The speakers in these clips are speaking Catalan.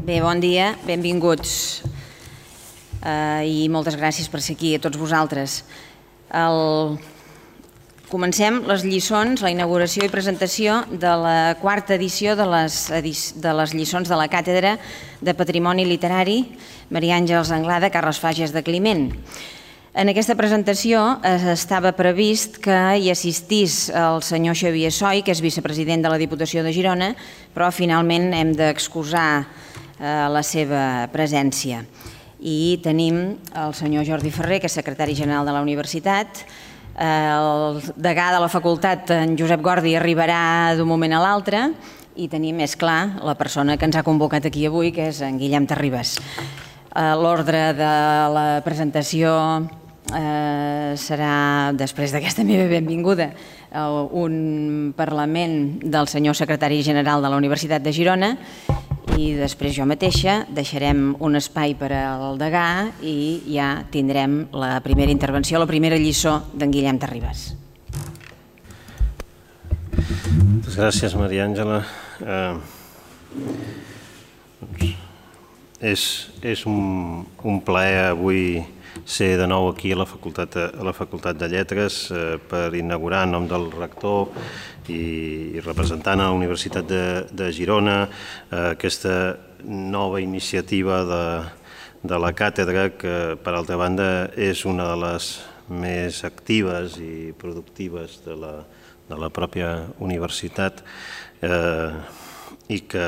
Bé, bon dia, benvinguts i moltes gràcies per ser aquí a tots vosaltres. Comencem les lliçons, la inauguració i presentació de la quarta edició de les lliçons de la Càtedra de Patrimoni Literari Maria Àngels Anglada, Carles Fages de Climent. En aquesta presentació estava previst que hi assistís el senyor Xavier Soy, que és vicepresident de la Diputació de Girona, però finalment hem d'excusar la seva presència. I tenim el senyor Jordi Ferrer, que és secretari general de la Universitat. El degà de la facultat, en Josep Gordi, arribarà d'un moment a l'altre. I tenim, és clar, la persona que ens ha convocat aquí avui, que és en Guillem Terribas. L'ordre de la presentació serà, després d'aquesta meva benvinguda, un parlament del senyor secretari general de la Universitat de Girona i després jo mateixa deixarem un espai per al degà i ja tindrem la primera intervenció, la primera lliçó d'en Guillem Terribas. Moltes gràcies, Maria Àngela. És un plaer avui ser de nou aquí a la Facultat de Lletres per inaugurar en nom del rector i representant a la Universitat de Girona aquesta nova iniciativa de la càtedra que, per altra banda, és una de les més actives i productives de la pròpia universitat i que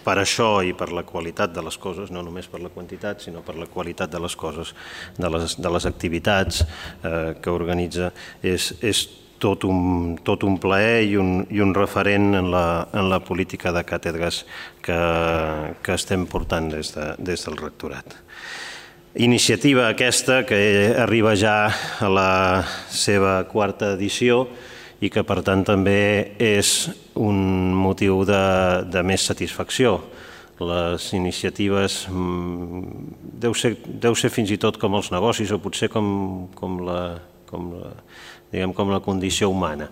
per això i per la qualitat de les coses, no només per la quantitat, sinó per la qualitat de les coses, de les activitats que organitza, és tot un plaer i un referent en la política de càtedres que estem portant des del rectorat. Iniciativa aquesta que arriba ja a la seva quarta edició i que, per tant, també és un motiu de més satisfacció. Les iniciatives deu ser fins i tot com els negocis o potser com la condició humana.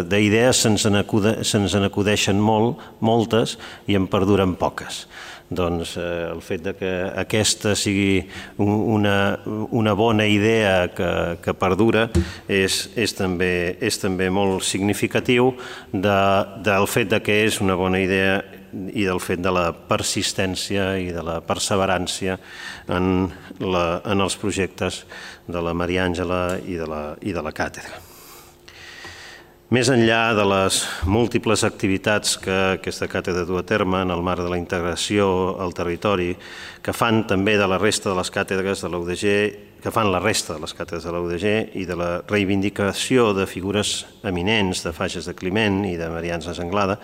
D'idees se'ns n'acudeixen moltes i en perduren poques. Doncs el fet que aquesta sigui una bona idea que perdura és també molt significatiu del fet que és una bona idea i del fet de la persistència i de la perseverància en els projectes de la Maria Àngela i de la càtedra. Més enllà de les múltiples activitats que aquesta càtedra du a terme en el marc de la integració al territori, que fan també de la resta de les càtedres de la UDG, que fan la resta de les càtedres de la UDG i de la reivindicació de figures eminents de Fages de Climent i de Maria Àngels Anglada,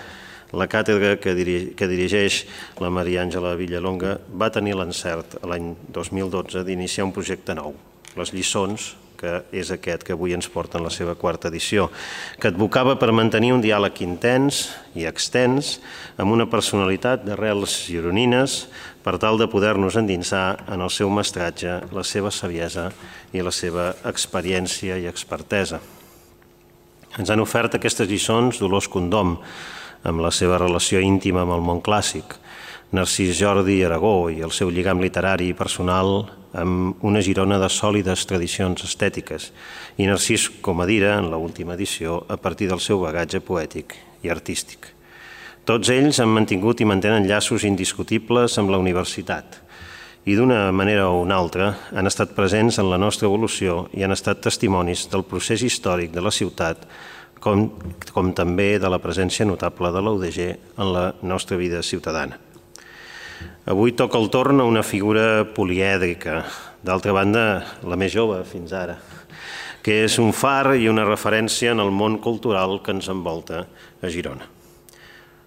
la càtedra que dirigeix la Maria Àngela Villalonga va tenir l'encert l'any 2012 d'iniciar un projecte nou, les lliçons, que és aquest que avui ens porta en la seva quarta edició, que advocava per mantenir un diàleg intens i extens amb una personalitat d'arrels gironines per tal de poder-nos endinsar en el seu mestratge, la seva saviesa i la seva experiència i expertesa. Ens han ofert aquestes lliçons Dolors Condom, amb la seva relació íntima amb el món clàssic, Narcís Jordi Aragó i el seu lligam literari i personal amb una Girona de sòlides tradicions estètiques i Narcís Comadira en l'última edició a partir del seu bagatge poètic i artístic. Tots ells han mantingut i mantenen llaços indiscutibles amb la universitat i d'una manera o una altra han estat presents en la nostra evolució i han estat testimonis del procés històric de la ciutat com també de la presència notable de la UDG en la nostra vida ciutadana. Avui toca el torn a una figura polièdrica, d'altra banda la més jove fins ara, que és un far i una referència en el món cultural que ens envolta a Girona.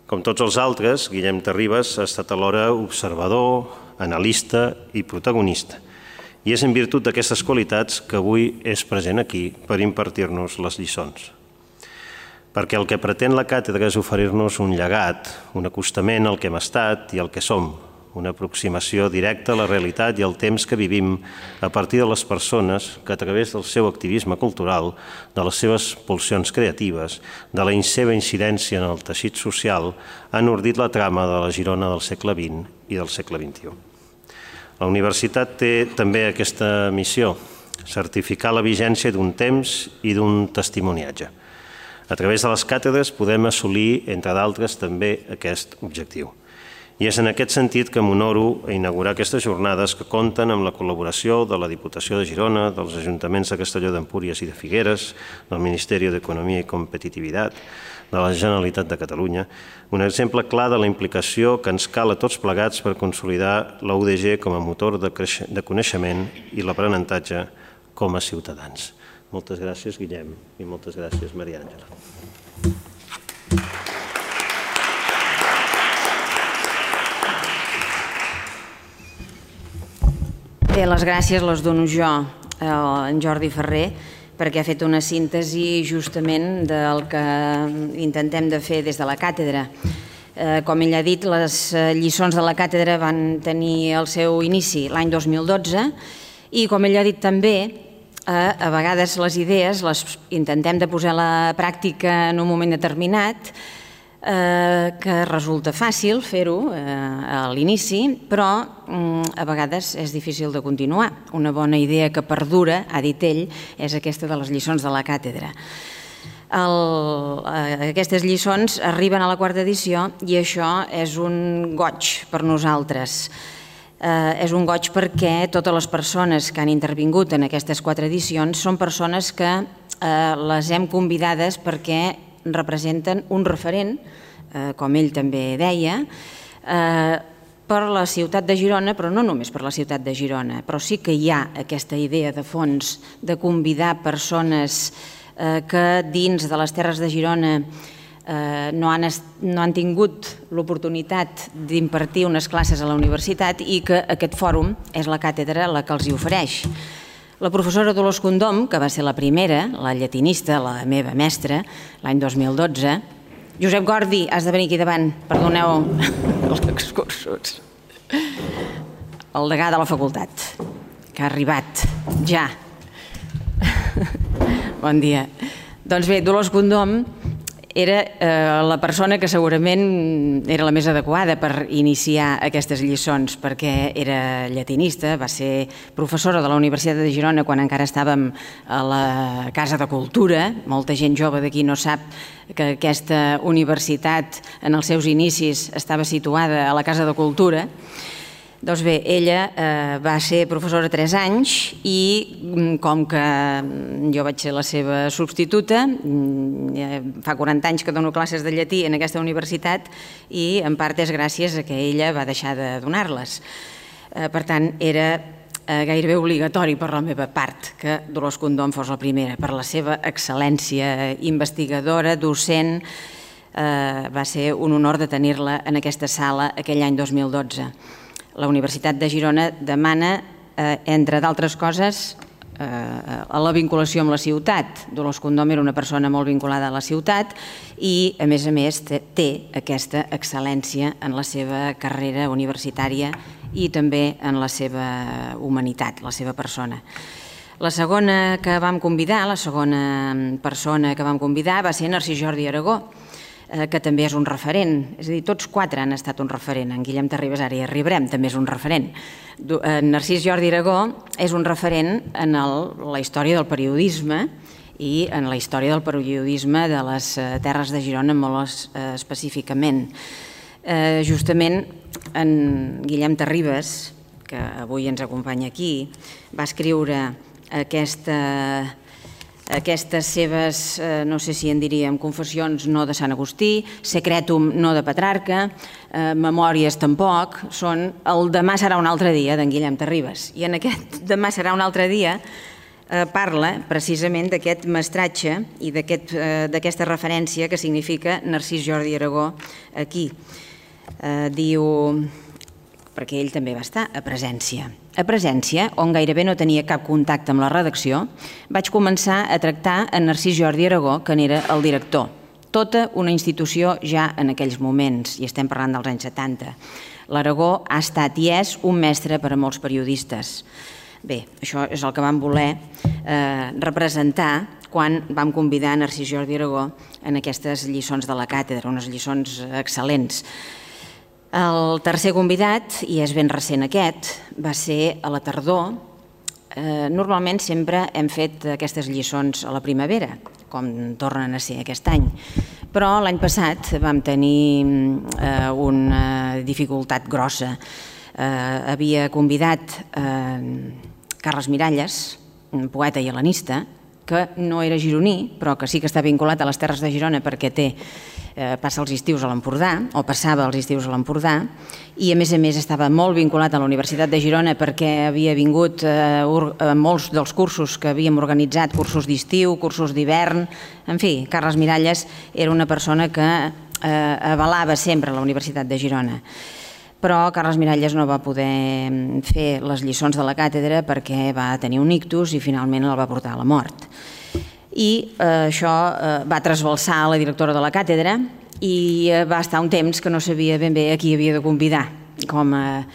Com tots els altres, Guillem Terribas ha estat alhora observador, analista i protagonista, i és en virtut d'aquestes qualitats que avui és present aquí per impartir-nos les lliçons. Perquè el que pretén la càtedra és oferir-nos un llegat, un acostament al que hem estat i al que som, una aproximació directa a la realitat i al temps que vivim a partir de les persones que a través del seu activisme cultural, de les seves pulsions creatives, de la seva incidència en el teixit social, han ordit la trama de la Girona del segle XX i del segle XXI. La universitat té també aquesta missió, certificar la vigència d'un temps i d'un testimoniatge. A través de les càtedres podem assolir, entre d'altres, també aquest objectiu. I és en aquest sentit que m'honoro a inaugurar aquestes jornades que compten amb la col·laboració de la Diputació de Girona, dels Ajuntaments de Castelló d'Empúries i de Figueres, del Ministeri d'Economia i Competitivitat, de la Generalitat de Catalunya, un exemple clar de la implicació que ens cal a tots plegats per consolidar la UDG com a motor de coneixement i l'aprenentatge com a ciutadans. Moltes gràcies, Guillem, i moltes gràcies, Maria Àngela. Bé, les gràcies les dono jo a en Jordi Ferrer, perquè ha fet una síntesi justament del que intentem de fer des de la càtedra. Com ell ha dit, les lliçons de la càtedra van tenir el seu inici l'any 2012 i, com ell ha dit també, a vegades les idees les intentem de posar a la pràctica en un moment determinat, que resulta fàcil fer-ho a l'inici, però a vegades és difícil de continuar. Una bona idea que perdura, ha dit ell, és aquesta de les lliçons de la càtedra. Aquestes lliçons arriben a la quarta edició i això és un goig per nosaltres. És un goig perquè totes les persones que han intervingut en aquestes 4 edicions són persones que les hem convidades perquè representen un referent, com ell també deia, per la ciutat de Girona, però no només per la ciutat de Girona, però sí que hi ha aquesta idea de fons de convidar persones que dins de les Terres de Girona no han tingut l'oportunitat d'impartir unes classes a la universitat i que aquest fòrum és la càtedra la que els hi ofereix. La professora Dolors Condom, que va ser la primera, la llatinista, la meva mestra, l'any 2012. Josep Gordi, has de venir aquí davant, perdoneu els excursos. El degà de la facultat, que ha arribat ja. Bon dia. Doncs bé, Dolors Condom era la persona que segurament era la més adequada per iniciar aquestes lliçons, perquè era llatinista, va ser professora de la Universitat de Girona quan encara estàvem a la Casa de Cultura. Molta gent jove d'aquí no sap que aquesta universitat en els seus inicis estava situada a la Casa de Cultura. Doncs bé, ella va ser professora 3 anys i com que jo vaig ser la seva substituta, fa 40 anys que dono classes de llatí en aquesta universitat i en part és gràcies a que ella va deixar de donar-les. Per tant, era gairebé obligatori per la meva part que Dolors Condom fos la primera, per la seva excel·lència investigadora, docent. Va ser un honor de tenir-la en aquesta sala aquell any 2012. La Universitat de Girona demana, entre d'altres coses, la vinculació amb la ciutat. Dolors Condom era una persona molt vinculada a la ciutat i, a més, té aquesta excel·lència en la seva carrera universitària i també en la seva humanitat, la seva persona. La segona que vam convidar, la segona persona que vam convidar va ser Narcís Jordi Aragó, que també és un referent. És a dir, tots 4 han estat un referent. En Guillem Terribas, ara hi arribarem, també és un referent. Narcís Jordi Aragó és un referent en la història del periodisme i en la història del periodisme de les Terres de Girona molt específicament. Justament en Guillem Terribas, que avui ens acompanya aquí, va escriure aquestes seves, no sé si en diríem, confessions no de Sant Agustí, Secretum no de Petrarca, Memòries tampoc, són el Demà serà un altre dia d'en Guillem Terribas. I en aquest Demà serà un altre dia parla precisament d'aquest mestratge i d'aquesta referència que significa Narcís Jordi Aragó aquí. Diu, perquè ell també va estar a Presència. A Presència, on gairebé no tenia cap contacte amb la redacció, vaig començar a tractar en Narcís Jordi Aragó, que n'era el director. Tota una institució ja en aquells moments, i estem parlant dels anys 70. L'Aragó ha estat i és un mestre per a molts periodistes. Bé, això és el que vam voler representar quan vam convidar Narcís Jordi Aragó en aquestes lliçons de la càtedra, unes lliçons excel·lents. El tercer convidat, i és ben recent aquest, va ser a la tardor. Normalment sempre hem fet aquestes lliçons a la primavera, com tornen a ser aquest any. Però l'any passat vam tenir una dificultat grossa. Havia convidat Carles Miralles, un poeta i hel·lenista, que no era gironí, però que sí que està vinculat a les Terres de Girona perquè passa els estius a l'Empordà, o passava els estius a l'Empordà, i a més estava molt vinculat a la Universitat de Girona perquè havia vingut a molts dels cursos que havíem organitzat, cursos d'estiu, cursos d'hivern. En fi, Carles Miralles era una persona que avalava sempre la Universitat de Girona. Però Carles Miralles no va poder fer les lliçons de la càtedra perquè va tenir un ictus i finalment el va portar a la mort. I això va trasbalsar la directora de la càtedra i va estar un temps que no sabia ben bé a qui havia de convidar com a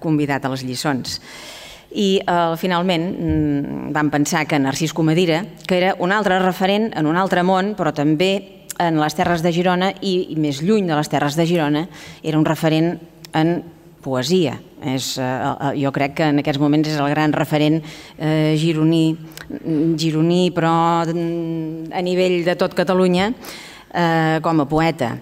convidat a les lliçons. I finalment vam pensar que Narcís Comadira, que era un altre referent en un altre món, però també en les Terres de Girona i més lluny de les Terres de Girona, era un referent en poesia. Jo crec que en aquests moments és el gran referent gironí, però a nivell de tot Catalunya, com a poeta.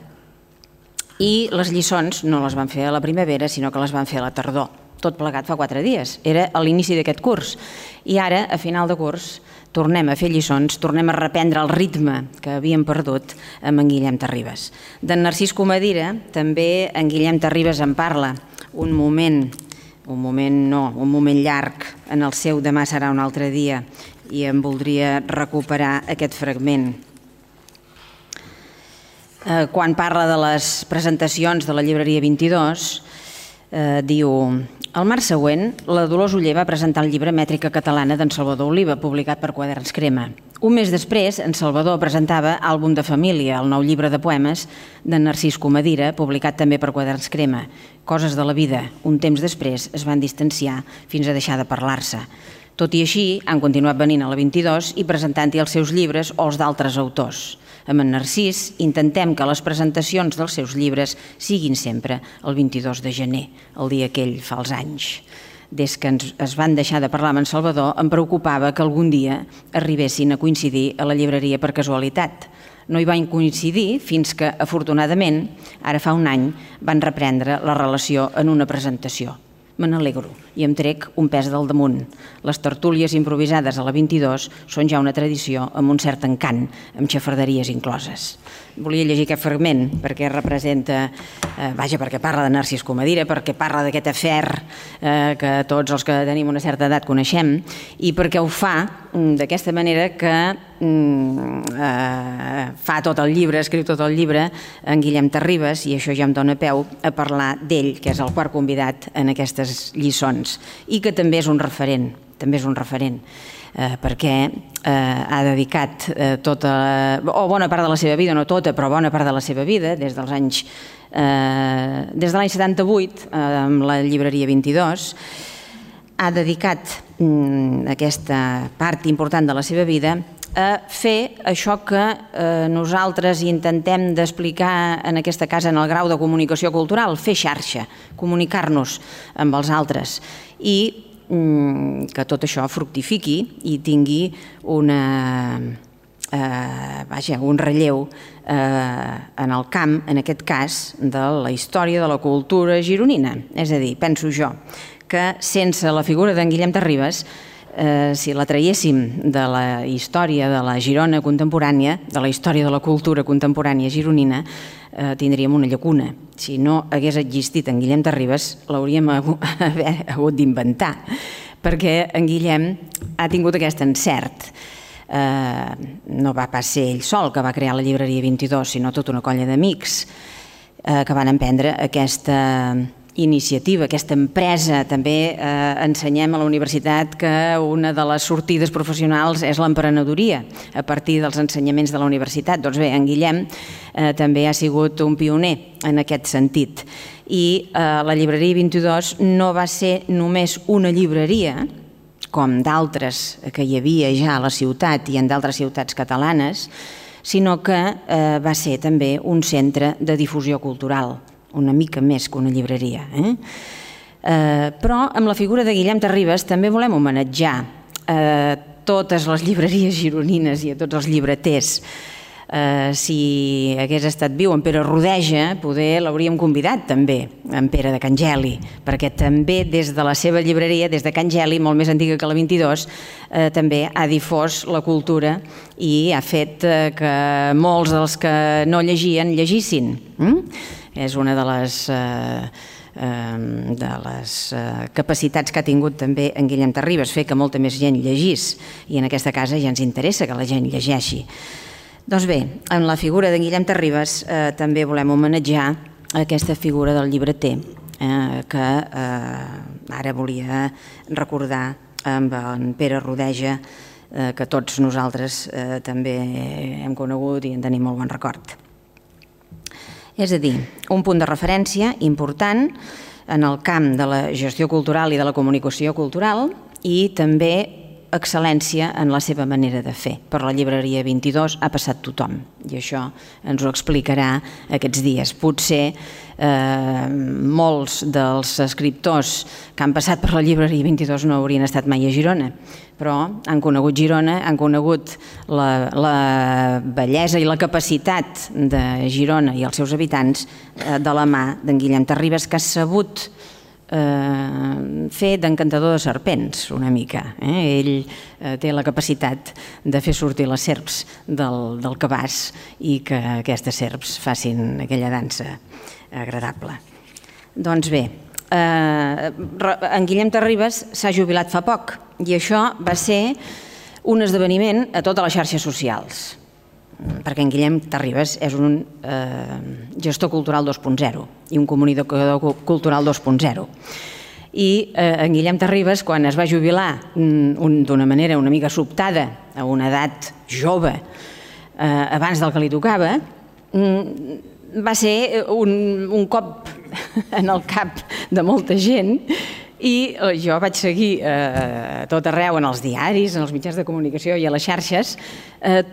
I les lliçons no les van fer a la primavera, sinó que les van fer a la tardor. Tot plegat fa 4 dies. Era a l'inici d'aquest curs. I ara, a final de curs, tornem a fer lliçons, tornem a reprendre el ritme que havíem perdut amb en Guillem Terribas. D'en Narcís Comadira, també en Guillem Terribas en parla un moment llarg en el seu Demà serà un altre dia, i em voldria recuperar aquest fragment. Quan parla de les presentacions de la llibreria 22, diu: al març següent, la Dolors Oller va presentar el llibre Mètrica catalana d'en Salvador Oliva, publicat per Quaderns Crema. Un mes després, en Salvador presentava Àlbum de família, el nou llibre de poemes d'en Narcís Comadira, publicat també per Quaderns Crema. Coses de la vida. Un temps després es van distanciar fins a deixar de parlar-se. Tot i així, han continuat venint a la 22 i presentant-hi els seus llibres o els d'altres autors. Amb en Narcís intentem que les presentacions dels seus llibres siguin sempre el 22 de gener, el dia aquell fa els anys. Des que es van deixar de parlar amb en Salvador, em preocupava que algun dia arribessin a coincidir a la llibreria per casualitat. No hi van coincidir fins que, afortunadament, ara fa un any, van reprendre la relació en una presentació. Me n'alegro i em trec un pes del damunt. Les tertúlies improvisades a la 22 són ja una tradició amb un cert encant, amb xafarderies incloses. Volia llegir aquest fragment perquè representa, perquè parla de Narcís Comadira, perquè parla d'aquest afer que tots els que tenim una certa edat coneixem, i perquè ho fa d'aquesta manera que fa tot el llibre, escriu tot el llibre en Guillem Terribas, i això ja em dóna peu a parlar d'ell, que és el quart convidat en aquestes lliçons, i que també és un referent, perquè ha dedicat bona part de la seva vida, no tota, però bona part de la seva vida, des de l'any 78, amb la llibreria 22, ha dedicat aquesta part important de la seva vida a fer això que nosaltres intentem d'explicar en aquesta casa en el grau de comunicació cultural, fer xarxa, comunicar-nos amb els altres, i que tot això fructifiqui i tingui un relleu en el camp, en aquest cas, de la història de la cultura gironina. És a dir, penso jo que sense la figura d'en Guillem Terribas, si la traiéssim de la història de la Girona contemporània, de la història de la cultura contemporània gironina, tindríem una llacuna. Si no hagués existit en Guillem Terribas, l'hauríem hagut d'inventar, perquè en Guillem ha tingut aquest encert. No va pas ser ell sol que va crear la llibreria 22, sinó tota una colla d'amics que van emprendre aquesta iniciativa, aquesta empresa. També ensenyem a la universitat que una de les sortides professionals és l'emprenedoria a partir dels ensenyaments de la universitat. Doncs bé, en Guillem també ha sigut un pioner en aquest sentit. I la llibreria 22 no va ser només una llibreria, com d'altres que hi havia ja a la ciutat i en d'altres ciutats catalanes, sinó que va ser també un centre de difusió cultural, una mica més que una llibreria. Però amb la figura de Guillem Terribas també volem homenatjar totes les llibreries gironines i a tots els llibreters. Si hagués estat viu en Pere Rodeja, poder l'hauríem convidat també, en Pere de Can Geli, perquè també des de la seva llibreria, des de Can Geli, molt més antiga que la 22, també ha difós la cultura i ha fet que molts dels que no llegien, llegissin. És una de les capacitats que ha tingut també en Guillem Terribas, fer que molta més gent llegís, i en aquesta casa ja ens interessa que la gent llegeixi. Doncs bé, en la figura de Guillem Terribas també volem homenatjar aquesta figura del llibreter que ara volia recordar amb en Pere Rodeja, que tots nosaltres també hem conegut i en tenim molt bon record. És a dir, un punt de referència important en el camp de la gestió cultural i de la comunicació cultural i també excel·lència en la seva manera de fer. Per la llibreria 22 ha passat tothom i això ens ho explicarà aquests dies. Potser molts dels escriptors que han passat per la llibreria 22 no haurien estat mai a Girona, però han conegut Girona, han conegut la bellesa i la capacitat de Girona i els seus habitants de la mà d'en Guillem Terribas, que ha sabut fer d'encantador de serpents una mica. Ell té la capacitat de fer sortir les serps del cabàs i que aquestes serps facin aquella dansa agradable. Doncs bé, en Guillem Terribas s'ha jubilat fa poc i això va ser un esdeveniment a totes les xarxes socials, perquè en Guillem Terribas és un gestor cultural 2.0 i un comunicador cultural 2.0. I en Guillem Terribas, quan es va jubilar d'una manera una mica sobtada, a una edat jove, abans del que li tocava, va ser un cop en el cap de molta gent. I jo vaig seguir a tot arreu, en els diaris, en els mitjans de comunicació i a les xarxes,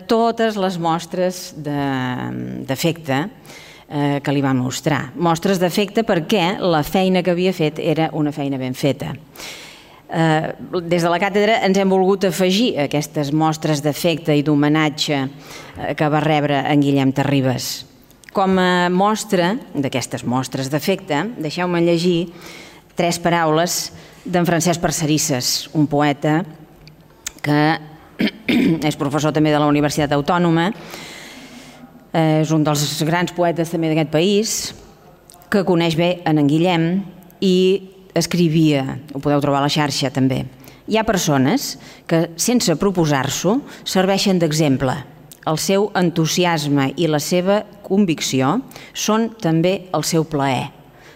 totes les mostres d'afecte que li va mostrar. Mostres d'afecte perquè la feina que havia fet era una feina ben feta. Des de la càtedra ens hem volgut afegir aquestes mostres d'afecte i d'homenatge que va rebre en Guillem Terribas. Com a mostra d'aquestes mostres d'afecte, deixeu-me llegir 3 paraules d'en Francesc Parcerisses, un poeta que és professor també de la Universitat Autònoma, és un dels grans poetes també d'aquest país, que coneix bé en Guillem i escrivia, ho podeu trobar a la xarxa també. Hi ha persones que, sense proposar-s'ho, serveixen d'exemple. El seu entusiasme i la seva convicció són també el seu plaer.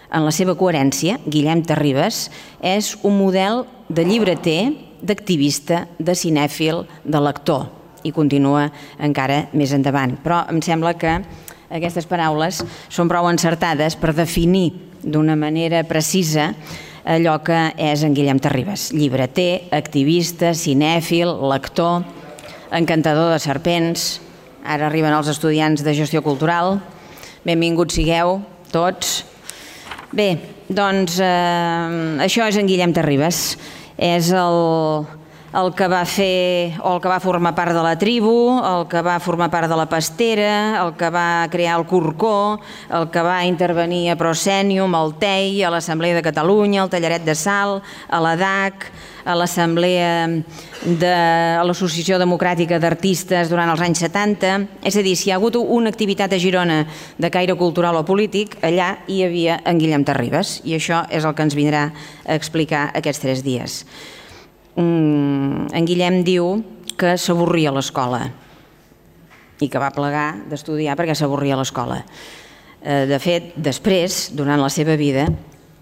En la seva coherència, Guillem Terribas és un model de llibreter, d'activista, de cinèfil, de lector, i continua encara més endavant. Però em sembla que aquestes paraules són prou encertades per definir d'una manera precisa allò que és en Guillem Terribas: llibreter, activista, cinèfil, lector, encantador de serpents. Ara arriben els estudiants de gestió cultural. Benvinguts sigueu tots. Bé, doncs això és en Guillem Terribas. És el que va fer o el que va formar part de la tribu, el que va formar part de la pastera, el que va crear el Corcó, el que va intervenir a Proscenium, al TEI, a l'Assemblea de Catalunya, al Tallaret de Sal, a la DAC, a l'Assemblea de l'Associació Democràtica d'Artistes durant els anys 70. És a dir, si hi ha hagut una activitat a Girona de caire cultural o polític, allà hi havia en Guillem Terribas, i això és el que ens vindrà a explicar aquests 3 dies. En Guillem diu que s'avorria a l'escola i que va plegar d'estudiar perquè s'avorria a l'escola. De fet, després, durant la seva vida,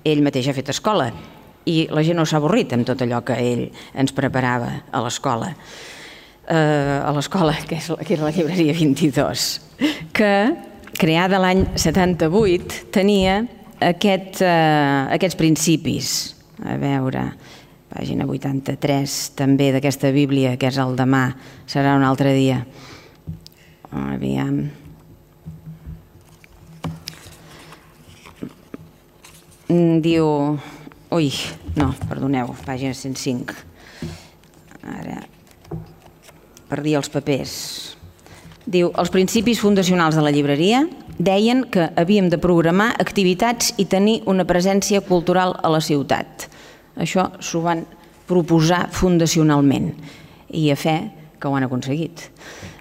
ell mateix ha fet escola i la gent no s'ha avorrit amb tot allò que ell ens preparava a l'escola. A l'escola, que era la llibreria 22, que, creada l'any 78, tenia aquests principis. A veure, pàgina 83, també d'aquesta Bíblia, que és el demà, serà un altre dia. Aviam. Diu... Ui, no, perdoneu, pàgina 105. Ara, perdia els papers. Diu, els principis fundacionals de la llibreria deien que havíem de programar activitats i tenir una presència cultural a la ciutat. Això s'ho van proposar fundacionalment i a fe que ho han aconseguit,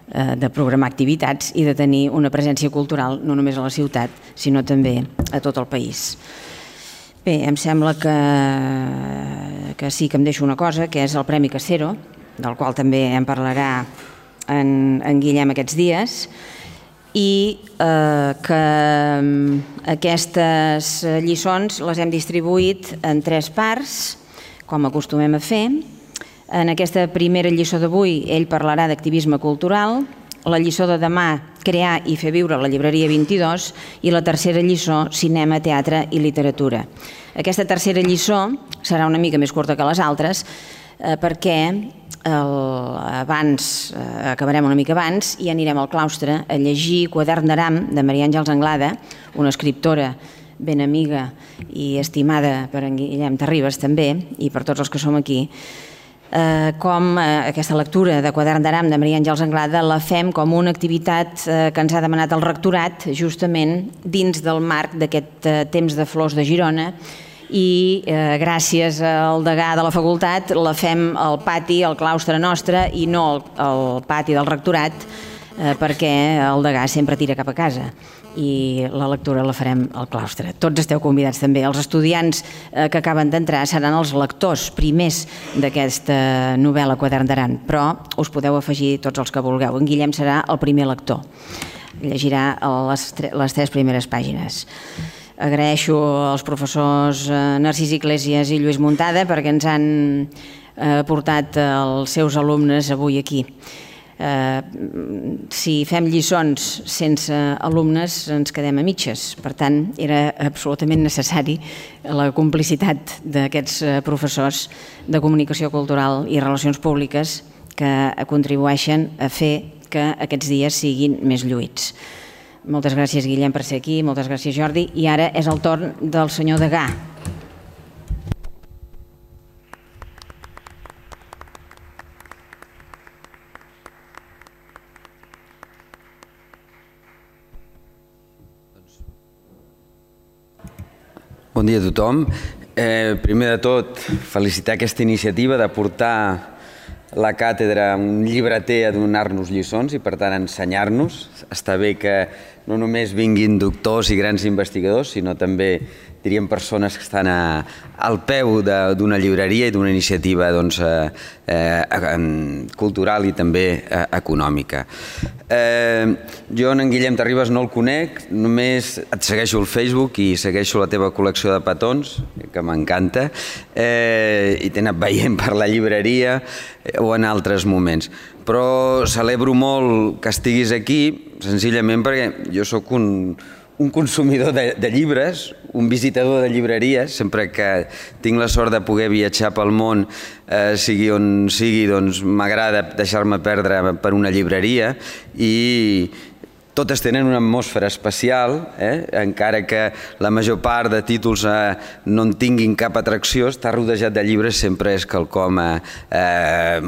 de programar activitats i de tenir una presència cultural no només a la ciutat, sinó també a tot el país. Bé, em sembla que sí que em deixo una cosa, que és el Premi Casero, del qual també en parlarà en Guillem aquests dies, i que aquestes lliçons les hem distribuït en 3 parts, com acostumem a fer. En aquesta primera lliçó d'avui ell parlarà d'activisme cultural, la lliçó de demà, crear i fer viure la llibreria 22, i la tercera lliçó, cinema, teatre i literatura. Aquesta tercera lliçó serà una mica més curta que les altres, perquè acabarem una mica abans i anirem al claustre a llegir Quadern d'Aram de Maria Àngels Anglada, una escriptora ben amiga i estimada per en Guillem Terribas també, i per tots els que som aquí, com aquesta lectura de Quadern d'Aram de Maria Àngels Anglada la fem com una activitat que ens ha demanat el rectorat justament dins del marc d'aquest temps de flors de Girona, i gràcies al degà de la facultat la fem al pati, al claustre nostre, i no al pati del rectorat, perquè el degà sempre tira cap a casa i la lectura la farem al claustre. Tots esteu convidats també. Els estudiants que acaben d'entrar seran els lectors primers d'aquesta novel·la Quadern d'Aram, però us podeu afegir tots els que vulgueu. En Guillem serà el primer lector. Llegirà les 3 primeres pàgines. Agraeixo als professors Narcís Iglesias i Lluís Muntada perquè ens han portat els seus alumnes avui aquí. Si fem lliçons sense alumnes ens quedem a mitges, per tant era absolutament necessari la complicitat d'aquests professors de comunicació cultural i relacions públiques que contribueixen a fer que aquests dies siguin més lluïts. Moltes gràcies, Guillem, per ser aquí, moltes gràcies, Jordi, i ara és el torn del senyor degà. Bon dia a tothom. Primer de tot, felicitar aquesta iniciativa de portar la càtedra a un llibreter a donar-nos lliçons i, per tant, ensenyar-nos. Està bé que no només vinguin doctors i grans investigadors, sinó també, diríem, persones que estan al peu d'una llibreria i d'una iniciativa cultural i també econòmica. Jo en Guillem Terribas no el conec, només et segueixo al Facebook i segueixo la teva col·lecció de petons, que m'encanta, i t'he anat veient per la llibreria o en altres moments. Però celebro molt que estiguis aquí, senzillament perquè jo sóc un consumidor de llibres, un visitador de llibreries, sempre que tinc la sort de poder viatjar pel món, sigui on sigui, doncs m'agrada deixar-me perdre per una llibreria i totes tenen una atmosfera especial, encara que la major part de títols no en tinguin cap atracció, estar rodejat de llibres sempre és quelcom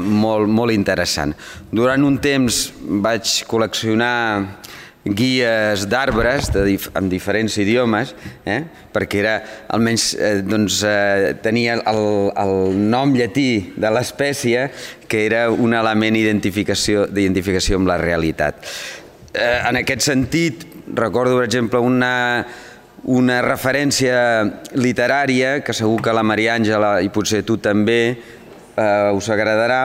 molt interessant. Durant un temps vaig col·leccionar guies d'arbres en diferents idiomes, perquè era, almenys tenia el nom llatí de l'espècie, que era un element d'identificació amb la realitat. En aquest sentit, recordo, per exemple, una referència literària, que segur que la Maria Àngela i potser tu també us agradarà.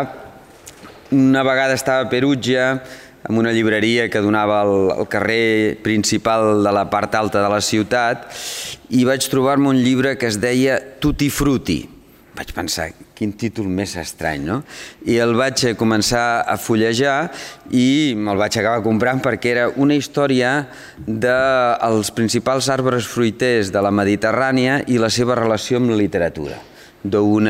Una vegada estava a Perugia, en una llibreria que donava al carrer principal de la part alta de la ciutat i vaig trobar-me un llibre que es deia Tutti Frutti. Vaig pensar, quin títol més estrany, no? I el vaig començar a fullejar i me'l vaig acabar comprant perquè era una història dels principals arbres fruiters de la Mediterrània i la seva relació amb la literatura. D'un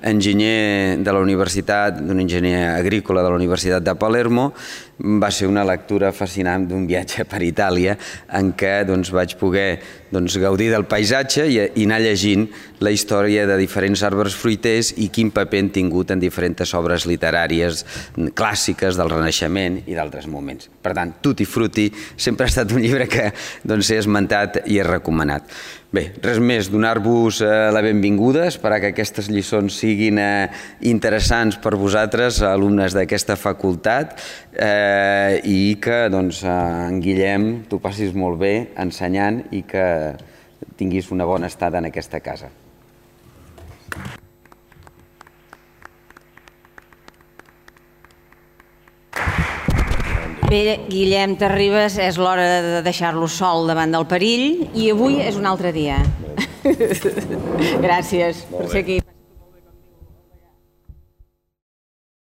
enginyer de la universitat, d'un enginyer agrícola de la Universitat de Palermo. Va ser una lectura fascinant d'un viatge per Itàlia en què vaig poder gaudir del paisatge i anar llegint la història de diferents arbres fruiters i quin paper han tingut en diferents obres literàries clàssiques del Renaixement i d'altres moments. Per tant, Tutti Frutti sempre ha estat un llibre que he esmentat i he recomanat. Bé, res més, donar-vos la benvinguda, esperar que aquestes lliçons siguin interessants per vosaltres, alumnes d'aquesta facultat, i que en Guillem t'ho passis molt bé ensenyant i que tinguis una bona estada en aquesta casa. Bé, Guillem Terribas, és l'hora de deixar-lo sol davant del perill i avui és un altre dia. Gràcies per ser aquí.